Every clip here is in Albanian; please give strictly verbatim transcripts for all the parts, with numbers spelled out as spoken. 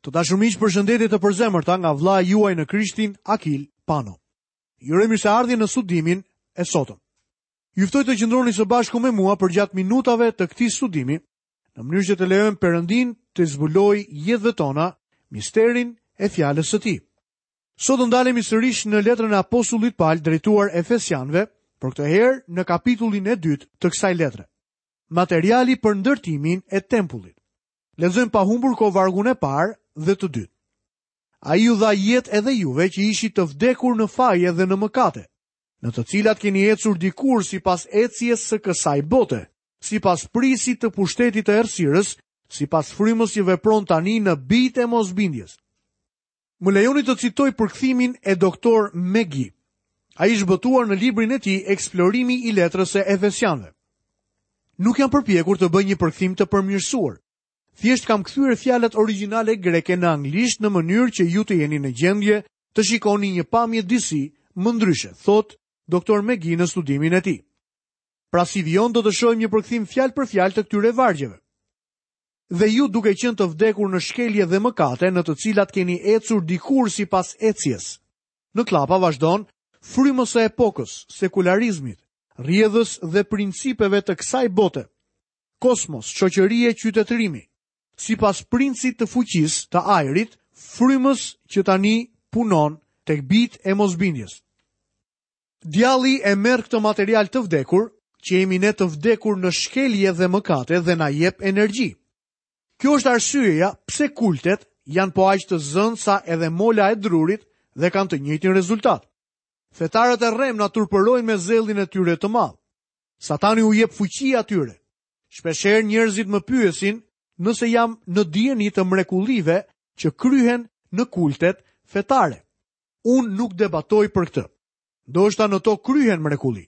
Të dashur miq, përshëndetje të përzemërta nga vëllai juaj në Krishtin, Akil Pano. Ju uroj mirëseardhje në studimin e sotëm. Ju ftoj të qëndroni së bashku me mua përgjatë minutave të këtij studimi, në mënyrë që të lejojmë Perëndin të zbulojë jetëve tona misterin e fjalës së tij. Sot do ndalemi sërish në letrën e apostullit Paul drejtuar Efesianëve, por këtë herë në kapitullin e dytë të kësaj letre. Materiali për ndërtimin e tempullit. Lexojmë pa humbur kohë vargun e parë dhe të dytë. Ai ju dha jetë edhe juve që ishit të vdekur në faje dhe në mëkate, në të cilat keni ecur dikur sipas ecjes së kësaj bote, sipas prisit të pushtetit të errësirës, sipas frymës që vepron tani në bijtë e mosbindjes. Më lejoni të citoj përkthimin e doktor McGee. Ai është botuar në librin e tij Eksplorimi i letrës së Efesianëve. Nuk jam përpjekur të bëj një përkthim të përmirësuar. Thjesht kam kthyer fjalët origjinale greke në anglisht në mënyrë që ju të jeni në gjendje të shikoni një pamje disi më ndryshe, thot doktor McGee në studimin e tij. Pra si vijon do të shohim një përkthim fjalë për fjalë të këtyre vargjeve. Dhe ju duke qenë të vdekur në shkelje dhe mëkate në të cilat keni ecur dikur sipas ecjes. Në klapa vazhdon frymës së epokës, sekularizmit, rrjedhës dhe principeve të kësaj bote. Kosmos, shoqërie, qytetërimi, sipas princit të fuqisë të ajrit, frymës që tani punon tek bijtë e mosbindjes. Djalli e merr këtë material të vdekur, që jemi ne të vdekur në shkelje dhe mëkate dhe na jep energji. Kjo është arsyeja pse kultet janë po aq të zënë sa edhe mola e drurit dhe kanë të njëjtin rezultat. Fetarët e rrem na turpërojnë me zellin e tyre të madh. Satani u jep fuqi atyre. Shpeshherë njerëzit më pyesin nëse jam në dijeni të mrekullive që kryhen në kultet fetare. Unë nuk debatoj për këtë. Ndoshta në to kryhen mrekulli.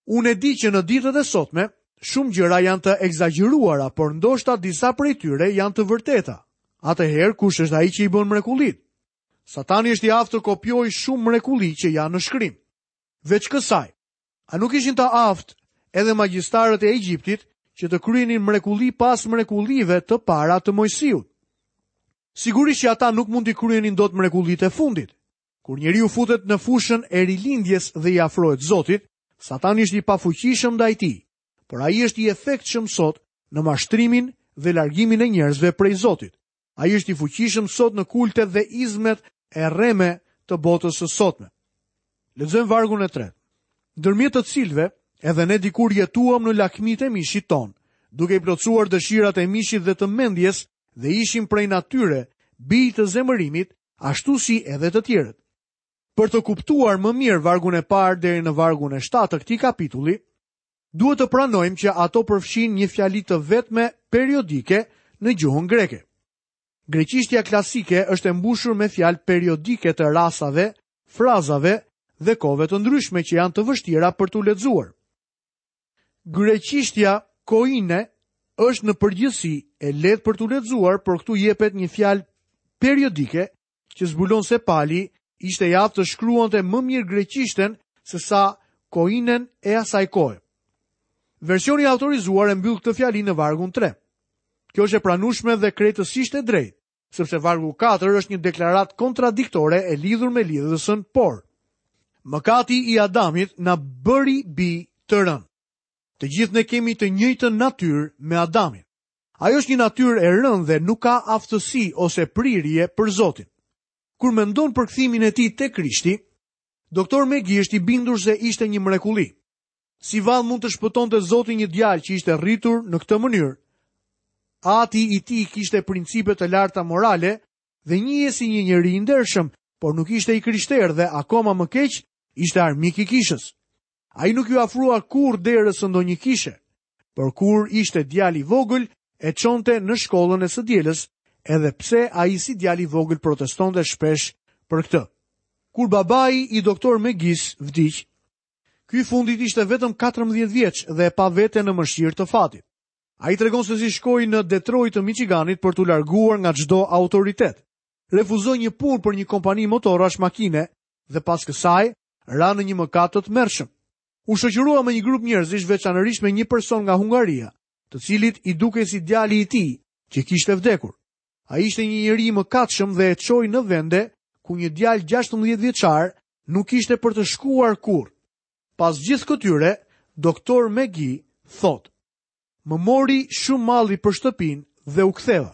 Unë e di që në ditët e sotme shumë gjëra janë të ekzagjeruara, por ndoshta disa prej tyre janë të vërteta. Atëherë kush është ai që i bën mrekullit? Satani është i aftë të kopjojë shumë mrekulli që janë në shkrim. Veç kësaj, a nuk ishin të aftë edhe magjistarët e Egjiptit që të kryenin mrekulli pas mrekullive të para të Mojsiut? Sigurisht që ata nuk mund t'i kryenin dot mrekullitë e fundit. Kur njeriu futet në fushën e rilindjes dhe i afrohet Zotit, Satani është i pafuqishëm ndaj tij, por ai është i efektshëm sot në mashtrimin dhe largimin e njerëzve prej Zotit. Ai është i fuqishëm sot në kultet dhe izmet e rreme të botës së sotme. Lexojmë vargun e tretë. Ndërmjet të cilëve edhe ne dikur jetuam në lakmitë e mishit ton, duke i plotësuar dëshirat e mishit dhe të mendjes dhe ishim prej natyre bij të zemërimit, ashtu si edhe të tjerët. Për të kuptuar më mirë vargun e parë deri në vargun e shtatë të këtij kapitulli, duhet të pranojmë që ato përfshin një fjali të vetme periodike në gjuhën greke. Greqishtja klasike është e mbushur me fjalë periodike të rasave, frazave dhe kohëve të ndryshme që janë të vështira për t'u lexuar. Greqishtja koine është në përgjithësi e lehtë për t'u lexuar, por këtu jepet një fjalë periodike që zbulon se Pali ishte i aftë të shkruante më mirë greqishten se sa koinen e asaj kohe. Versioni i autorizuar e mbyll këtë fjali në vargun tre. Kjo është e pranueshme dhe krejtësisht e drejtë, sepse vargu katër është një deklaratë kontradiktore e lidhur me lidhësën por. Mëkati i Adamit na bëri bi të rënë. Të gjithë ne kemi të njëjtën natyrë me Adamin. Ajo është një natyrë e rënë dhe nuk ka aftësi ose prirje për Zotin. Kur mendon për kthimin e tij te Krishti, doktor McGee është i bindur se ishte një mrekulli. Si vallë mund të shpëtonte Zoti një djalë që ishte rritur në këtë mënyrë? Ati i tij kishte principe të larta morale dhe njihej si një njeri i ndershëm, por nuk ishte i krishterë dhe akoma më keq ishte armik i kishës. Ai nuk ju afrua kurrë derës së ndonjë kishe, por kur ishte djalë i vogël e çonte në shkollën e së dielës, edhe pse ai si djalë i vogël protestonte shpesh për këtë. Kur babai i doktor McGees vdiq, ky i fundit ishte vetëm katërmbëdhjetë vjeç dhe e pa veten në mëshirë të fatit. Ai tregon se si shkoi në Detroit të Michiganit për t'u larguar nga çdo autoritet. Refuzoi një punë për një kompani motorash makine dhe pas kësaj ra në një mëkat të tmerrshëm. U shoqërua me një grup njerëzish, veçanërisht me një person nga Hungaria, të cilit i dukej si djali i tij që kishte vdekur. Ai ishte një njeri i mëkatshëm dhe e çoi në vende ku një djalë gjashtëmbëdhjetë vjeçar nuk ishte për të shkuar kurrë. Pas gjithë këtyre, doktor McGee thotë: Më mori shumë malli për shtëpinë dhe u ktheva.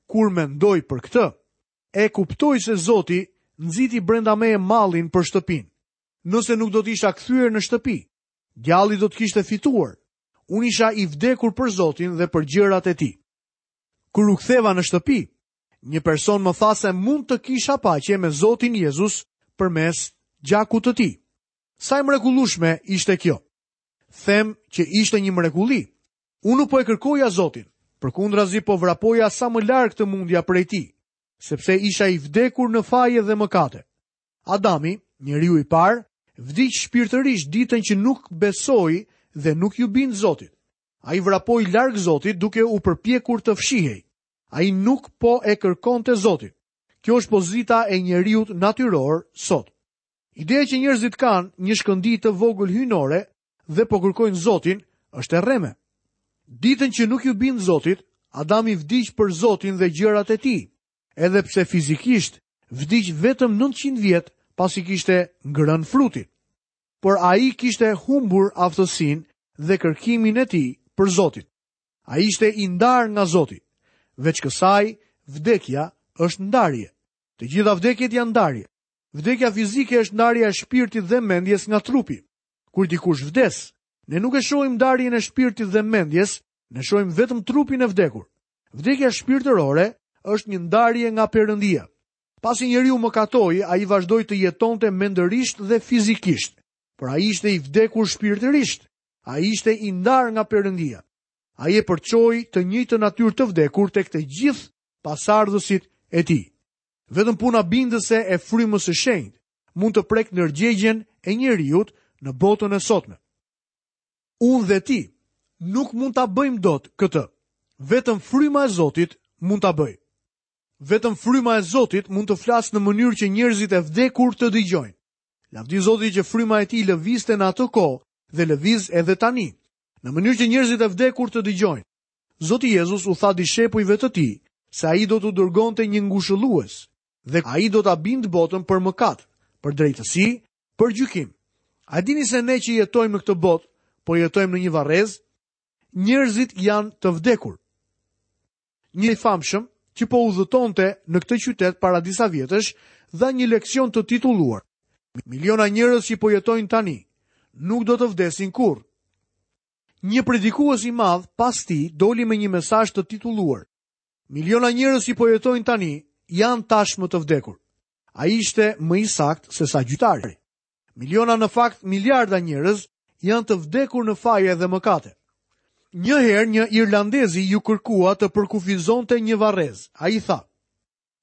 Kur mendoj për këtë, e kuptoj se Zoti nxiti brenda meje mallin për shtëpinë. Nëse nuk do të isha kthyer në shtëpi, djalli do të kishte fituar. Unë isha i vdekur për Zotin dhe për gjërat e tij. Kur u ktheva në shtëpi, një person më tha se mund të kisha paqe me Zotin Jezus përmes gjakut të tij. Sa e mrekullueshme ishte kjo. Them që ishte një mrekulli. Unë nuk po e kërkoja Zotin, përkundrazi po vrapoja sa më larg të mundja prej tij, sepse isha i vdekur në faje dhe mëkate. Adami, njeriu i parë, vdiq shpirtërisht ditën që nuk besoi dhe nuk ju bind Zotit. Ai vrapoi larg Zotit duke u përpjekur të fshihej. Ai nuk po e kërkonte Zotin. Kjo është pozita e njeriut natyror sot. Ideja që njerëzit kanë një shkëndijë të vogël hyjnore dhe po kërkojnë Zotin është e rreme. Ditën që nuk ju bind Zotit, Adami vdiq për Zotin dhe gjërat e tij, edhe pse fizikisht vdiq vetëm nëntëqind vjet pasi kishte ngrënë frutin. Por ai kishte humbur aftësinë dhe kërkimin e tij për Zotin. Ai ishte i ndarë nga Zoti. Veç kësaj, vdekja është ndarje. Të gjitha vdekjet janë ndarje. Vdekja fizike është ndarja e shpirtit dhe mendjes nga trupi. Kur dikush vdes, ne nuk e shohim ndarjen e shpirtit dhe mendjes, ne shohim vetëm trupin e vdekur. Vdekja shpirtërore është një ndarje nga Perëndia. Pasi njeriu mëkatoi, ai vazhdoi të jetonte mendërisht dhe fizikisht, por ai ishte i vdekur shpirtërisht. Ai ishte i ndarë nga Perëndia. Ai e përçoi të njëjtën natyrë të vdekur tek të gjithë pasardhësit e tij. Vetëm puna bindëse e frymës së shenjtë mund të prek ndërgjegjen e njeriut në botën e sotme. Unë dhe ti nuk mund ta bëjmë dot këtë. Vetëm fryma e Zotit mund ta bëjë. Vetëm fryma e Zotit mund të flasë në mënyrë që njerëzit e vdekur të dëgjojnë. Lavdi Zotit që fryma e tij lëvizte në atë kohë dhe lëviz edhe tani, në mënyrë që njerëzit e vdekur të dëgjojnë. Zoti Jezus u tha dishepujve të tij se ai do t'u dërgonte një ngushëllues dhe ai do ta bindë botën për mëkat, për drejtësi, për gjykim. A dini se ne që jetojmë në këtë botë, po jetojmë në një varrez? Njerëzit janë të vdekur. Një i famshëm që po udhëtonte në këtë qytet para disa vjetësh dha një leksion të titulluar Miliona njerëz që po jetojnë tani nuk do të vdesin kurrë. Një predikues i madh pas tij doli me një mesazh të titulluar Miliona njerëz që po jetojnë tani janë tashmë të vdekur. Ai ishte më i saktë se sa gjytari. Miliona, në fakt miliarda njerëz janë të vdekur në faje dhe mëkate. Një herë një irlandezi ju kërkua të përkufizonte një varrez. Ai tha: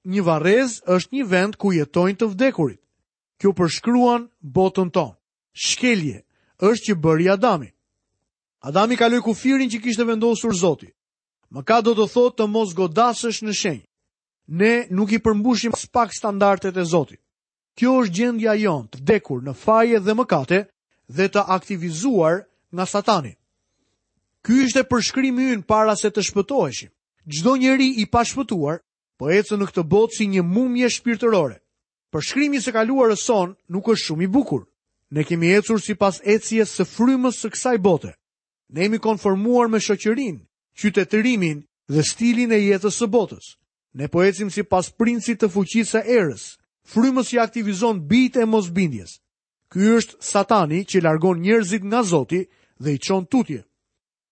Një varrez është një vend ku jetojnë të vdekurit. Kjo përshkruan botën tonë. Shkelje është që bëri Adami. Adami kaloi kufirin që kishte vendosur Zoti. Mëkat do të thotë të mos godasësh në shenjë. Ne nuk i përmbushim spak standardet e Zotit. Kjo është gjendja jonë, të vdekur në faje dhe mëkate dhe të aktivizuar nga Satani. Ky ishte përshkrimi ynë para se të shpëtoheshim. Çdo njeri i pashpëtuar po ecën në këtë botë si një mumje shpirtërore. Përshkrimi i së kaluarës sonë nuk është shumë i bukur. Ne kemi ecur sipas ecjes së frymës së kësaj bote. Ne jemi konformuar me shoqërinë, qytetërimin dhe stilin e jetës së botës. Ne po ecim sipas princit të fuqisë së erës, frymës që aktivizon bijtë e mosbindjes. Ky është Satani që largon njerëzit nga Zoti dhe i çon tutje.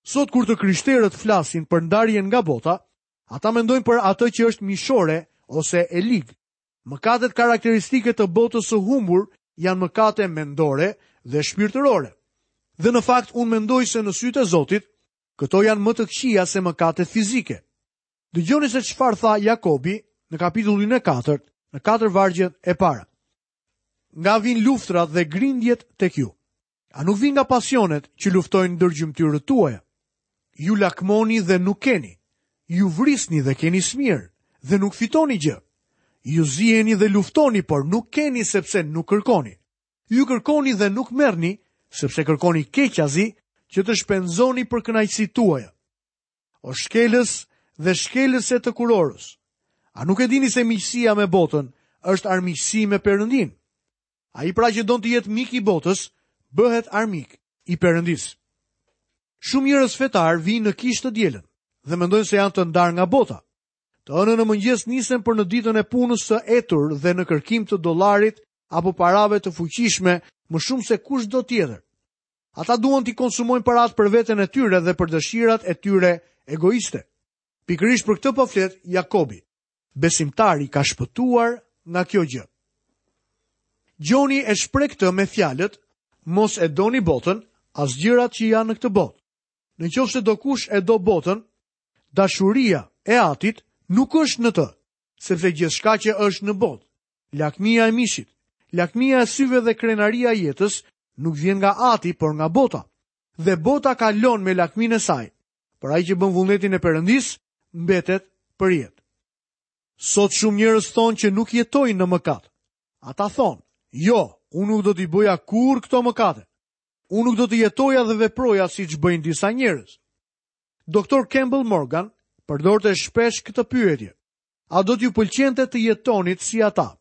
Sot kur të krishterët flasin për ndarjen nga bota, ata mendojnë për atë që është mishore ose e ligë. Mëkatet karakteristike të botës së humbur janë mëkate mendore dhe shpirtërore. Dhe në fakt unë mendoj se në sytë e Zotit, këto janë më të këqija se mëkatet fizike. Dëgjoni se çfarë tha Jakobi në kapitullin e katërt, në katër vargjet e para. Nga vijnë luftrat dhe grindjet tek ju? A nuk vijnë nga pasionet që luftojnë ndër gjymtyrët tuaja? Ju lakmoni dhe nuk keni. Ju vrisni dhe keni smirë dhe nuk fitoni gjë. Ju ziheni dhe luftoni, por nuk keni sepse nuk kërkoni. Ju kërkoni dhe nuk merrni, sepse kërkoni keqazi që të shpenzoni për kënaqësitë tuaja. O shkelës dhe shkelëse të kurorës, A nuk e dini se miqësia me botën është armiqësi me Perëndin? Ai pra që don të jetë mik i botës, bëhet armik i Perëndisë. Shumë njerëz fetar vijnë në kishë të dielën dhe mendojnë se janë të ndarë nga bota. Të hënën në mëngjes nisen për në ditën e punës së etur dhe në kërkim të dollarit apo parave të fuqishme më shumë se kushdo tjetër. Ata duan t'i konsumojnë paratë për veten e tyre dhe për dëshirat e tyre egoiste. Pikërisht për këtë po flet Jakobi. Besimtari ka shpëtuar nga kjo gjë. Gjoni e shpreh këtë me fjalët: mos e doni botën, as gjërat që janë në këtë botë. Në qoftë se dokush e do botën, dashuria e atit nuk është në të, sepse gjithçka që është në botë, lakmia e mishit, lakmia e syve dhe krenaria e jetës, nuk vjen nga ati, por nga bota. Dhe bota kalon me lakminë e saj, por ai që bën vullnetin e Perëndisë mbetet për jetë. Sot shumë njerëz thonë që nuk jetojnë në mëkat. Ata thonë: jo, unë nuk do t'i bëja kurrë këto mëkate. Unë nuk do të jetoja dhe veproja siç bëjnë disa njerëz. Doktor Campbell Morgan përdorte shpesh këtë pyetje: a do t'ju pëlqente të jetonit si ata?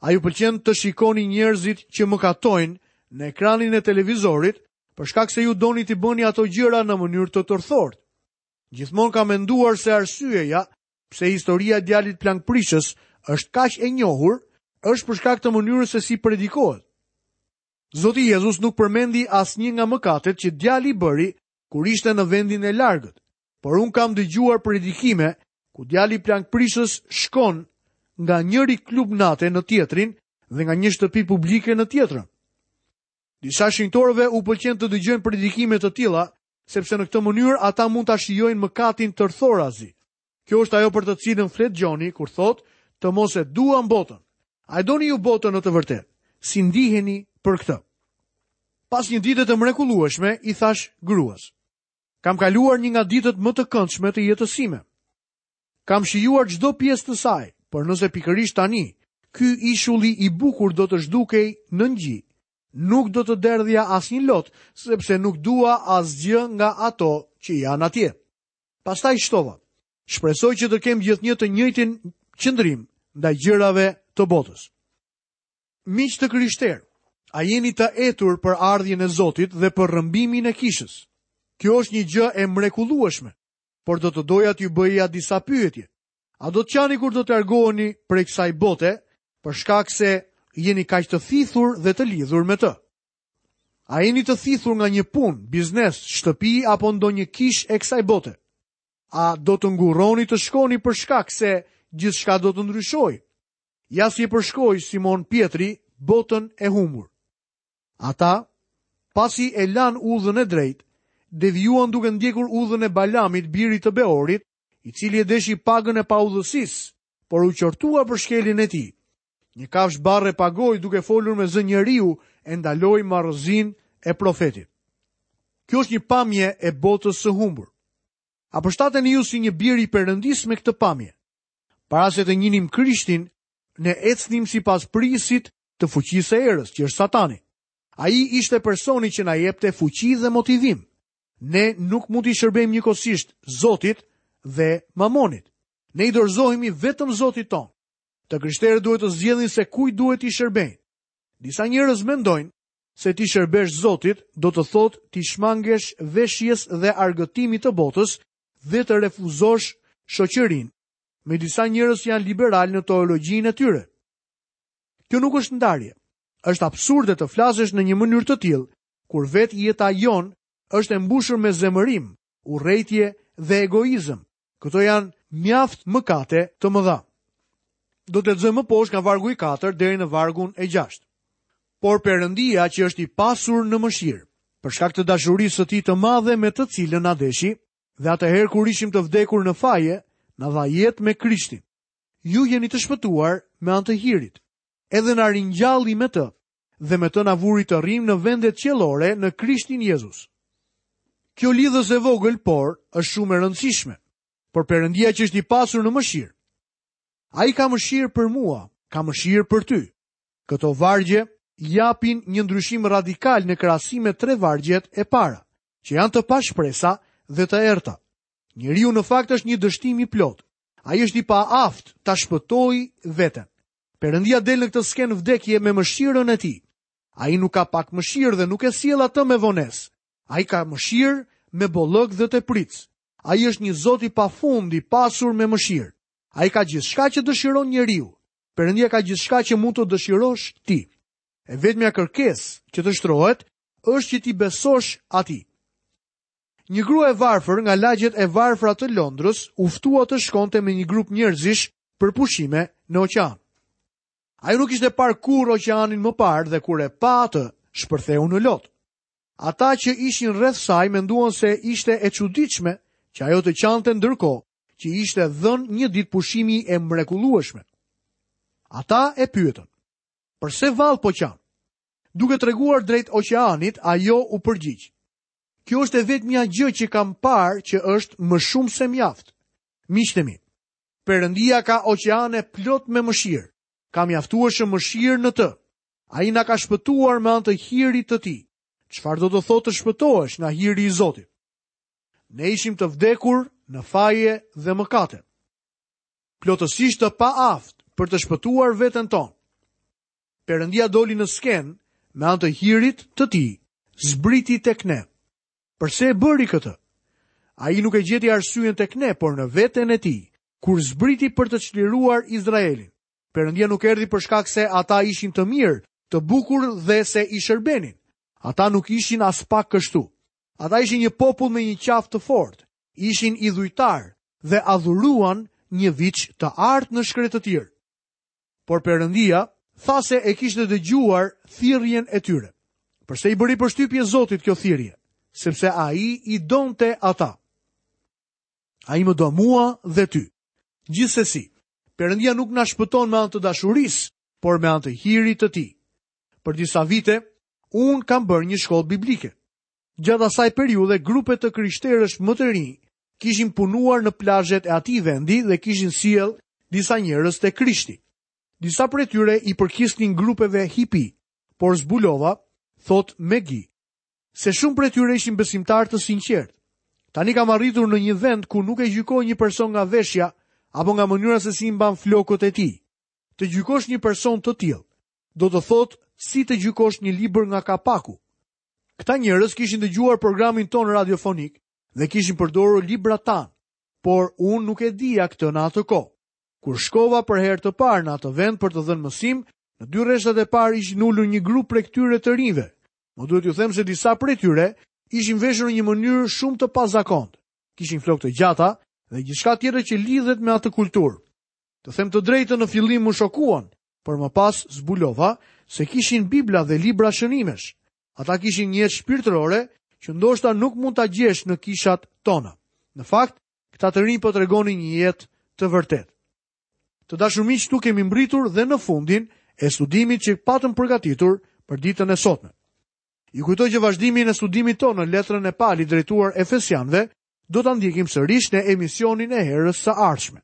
A ju pëlqen të shikoni njerëzit që mëkatojnë në ekranin e televizorit për shkak se ju doni t'i bëni ato gjëra në mënyrë të tërthortë? Gjithmonë kam menduar se arsyeja pse historia e djalit plankprishës është kaq e njohur është për shkak të mënyrës se si predikohet. Zoti Jezus nuk përmendi asnjë nga mëkatet që djali bëri kur ishte në vendin e largët, por unë kam dëgjuar predikime ku djali plankprishës shkon nga njëri klub nate në tjetrin dhe nga një shtëpi publike në tjetrën. Disa shenjtorëve u pëlqen të dëgjojnë predikime të tilla, sepse në këtë mënyrë ata mund ta shijojnë mëkatin tërthorazi. Kjo është ajo për të cilën flet Gjoni kur thotë të mos e duam botën. A e doni ju botën në të vërtetë? Si ndiheni për këtë? Pas një dite të mrekullueshme, i thash gruas: kam kaluar një nga ditët më të këndshme të jetës sime. Kam shijuar çdo pjesë të saj, por nëse pikërisht tani ky ishulli i bukur do të zhdukej në ngji, nuk do të derdhja asnjë lot, sepse nuk dua asgjë nga ato që janë atje. Pastaj shtova: shpresoj që të kem gjithnjë të njëjtin qëndrim ndaj gjërave të botës. Miq të krishterë, a jeni të etur për ardhjen e Zotit dhe për rrëmbimin e kishës? Kjo është një gjë e mrekullueshme, por do të doja t'ju bëja disa pyetje. A do të qani kur do të largoheni prej kësaj bote, për shkak se jeni kaq të thithur dhe të lidhur me të? A jeni të thithur nga një punë, biznes, shtëpi apo ndonjë kishë e kësaj bote? A do të ngurroni të shkoni për shkak se gjithçka do të ndryshojë? Ja si e përshkoi Simon Pietri botën e humbur. Ata, pasi e lanë udhën e drejtë, devijuan duke ndjekur udhën e Balamit, birit të Beorit, i cili e deshi pagën e paudhësisë, por u qortua për shkeljen e tij. Një kafsh barre pagoi duke folur me zë njeriu e ndaloi marrëzinë e profetit. Kjo është një pamje e botës së humbur. A përshtateni ju si një bir i Perëndisë me këtë pamje? Para se të njinim Krishtin, ne ecnim sipas prijësit të fuqisë së erës, që është Satani. Ai ishte personi që na jepte fuqi dhe motivim. Ne nuk mund t'i shërbejmë njëkohësisht Zotit dhe Mamonit. Ne i dorëzohemi vetëm Zotit tonë. Të krishterët duhet të zgjedhin se kujt duhet t'i shërbejnë. Disa njerëz mendojnë se t'i shërbesh Zotit do të thotë t'i shmangesh veshjes dhe argëtimit të botës dhe të refuzosh shoqërinë. Me disa njerëz janë liberal në teologjinë e tyre. Kjo nuk është ndarje. Është absurde të flasësh në një mënyrë të tillë, kur vetë jeta jonë është e mbushur me zemërim, urrejtje dhe egoizëm. Këto janë mjaft mëkate të mëdha. Do të lexojmë më poshtë nga vargu i katërt deri në vargun e gjashtë. Por Perëndia, që është i pasur në mëshirë, për shkak të dashurisë së tij të madhe me të cilën na deshi, dhe atëherë kur ishim të vdekur në faje, na dha jetë me Krishtin. Ju jeni të shpëtuar me anë të hirit. Edhe na ringjalli me të, dhe me të na vuri të rrim në vendet qiellore në Krishtin Jezus. Kjo lidhës e vogël, por është shumë e rëndësishme. Por Perëndia që është i pasur në mëshirë, ai ka mëshirë për mua, ka mëshirë për ty. Këto vargje japin një ndryshim radikal në krahasim me tre vargjet e para, që janë të pashpresa dhe të errta. Njeriu në fakt është një dështim i plot. Ai është i paaftë ta shpëtojë veten. Perëndia del në këtë skenë vdekje me mëshirën e tij. Ai nuk ka pak mëshirë dhe nuk e sjell atë me vonesë. Ai ka mëshirë me bollëk dhe tepric. Ai është një Zot i pafund, i pasur me mëshirë. Ai ka gjithçka që dëshiron njeriu. Perëndia ka gjithçka që mund të dëshirosh ti. E vetmja kërkesë që të shtrohet është që ti besosh atij. Një grua e varfër nga lagjet e varfra të Londrës u ftua të shkonte me një grup njerëzish për pushime në oqean. Ajo nuk ishte parë kurrë oqeanin më parë dhe kur e pa atë, shpërtheu në lot. Ata që ishin rreth saj menduan se ishte e çuditshme që ajo të qante ndërkohë që ishte dhënë një ditë pushimi e mrekullueshme. Ata e pyetën: "Përse vallë po qan?" Duke treguar drejt oqeanit, ajo u përgjigj: "Kjo është e vetmja gjë që kam parë që është më shumë se mjaft." Miqtë mi, Perëndia ka oqeane plot me mëshirë. Ka mjaftueshëm mëshirë në të. Ai na ka shpëtuar me anë të hirit të tij. Çfarë do të thotë të shpëtohesh nga hiri i Zotit? Ne ishim të vdekur në faje dhe mëkate, plotësisht të paaftë për të shpëtuar veten tonë. Perëndia doli në skenë me anë të hirit të tij, zbriti tek ne. Përse e bëri këtë? Ai nuk e gjeti arsyen tek ne, por në veten e tij, kur zbriti për të çliruar Izraelin. Perëndia nuk erdhi për shkak se ata ishin të mirë, të bukur dhe se i shërbenin. Ata nuk ishin as pak kështu. Ata ishin një popull me një qafë të fortë, ishin idhujtar dhe adhuruan një viç të artë në shkretëtirë. Por Perëndia tha se e kishte dëgjuar thirrjen e tyre. Përse i bëri përshtypje Zotit kjo thirrje? Sepse ai i donte ata. Ai më do mua dhe ty. Gjithsesi, Perëndia nuk na shpëton me anë të dashurisë, por me anë të hirit të tij. Për disa vite, unë kam bërë një shkollë biblike. Gjatë asaj periudhe, grupe të krishterësh më të rinj kishin punuar në plazhet e atij vendi dhe kishin sjell disa njerëz te Krishti. Disa prej tyre i përkisnin grupeve hippie, por zbulova, thot Megi, se shumë prej tyre ishin besimtar të sinqertë. Tani kam arritur në një vend ku nuk e gjykoj një person nga veshja apo nga mënyra se si i mban flokët e tij. Të gjykosh një person të tillë, do të thotë si të gjykosh një libër nga kapaku. Këta njerëz kishin dëgjuar programin ton radiofonik dhe kishin përdorur librat tanë, por unë nuk e dija këtë në atë kohë. Kur shkova për herë të parë në atë vend për të dhënë mësim, në dy rreshtat e parë ishin ulur një grup prej këtyre të rinjve. Më duhet t'ju them se disa prej tyre ishin veshur në një mënyrë shumë të pazakontë. Kishin flokë të gjata dhe gjithçka tjetër që lidhet me atë kulturë. Të them të drejtën, në fillim më shokuan, por më pas zbulova se kishin Bibla dhe libra shënimesh. Ata kishin një jetë shpirtërore që ndoshta nuk mund ta gjesh në kishat tona. Në fakt, këta të rinj po tregonin një jetë të vërtetë. Të dashur miq, këtu kemi mbritur dhe në fundin e studimit që patëm përgatitur për ditën e sotme. Ju kujtoj që vazhdimin e studimit tonë në letrën e Palit drejtuar Efesianëve do ta ndjekim sërish në emisionin e herës së ardhshme.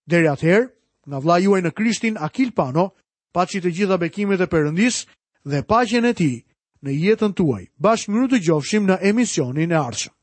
Deri atëherë, nga vëllai juaj në Krishtin Akil Pano, paçi të gjitha bekimet e Perëndisë dhe paqen e tij në jetën tuaj. Bashkë mirë dëgjofshim në emisionin e ardhshëm.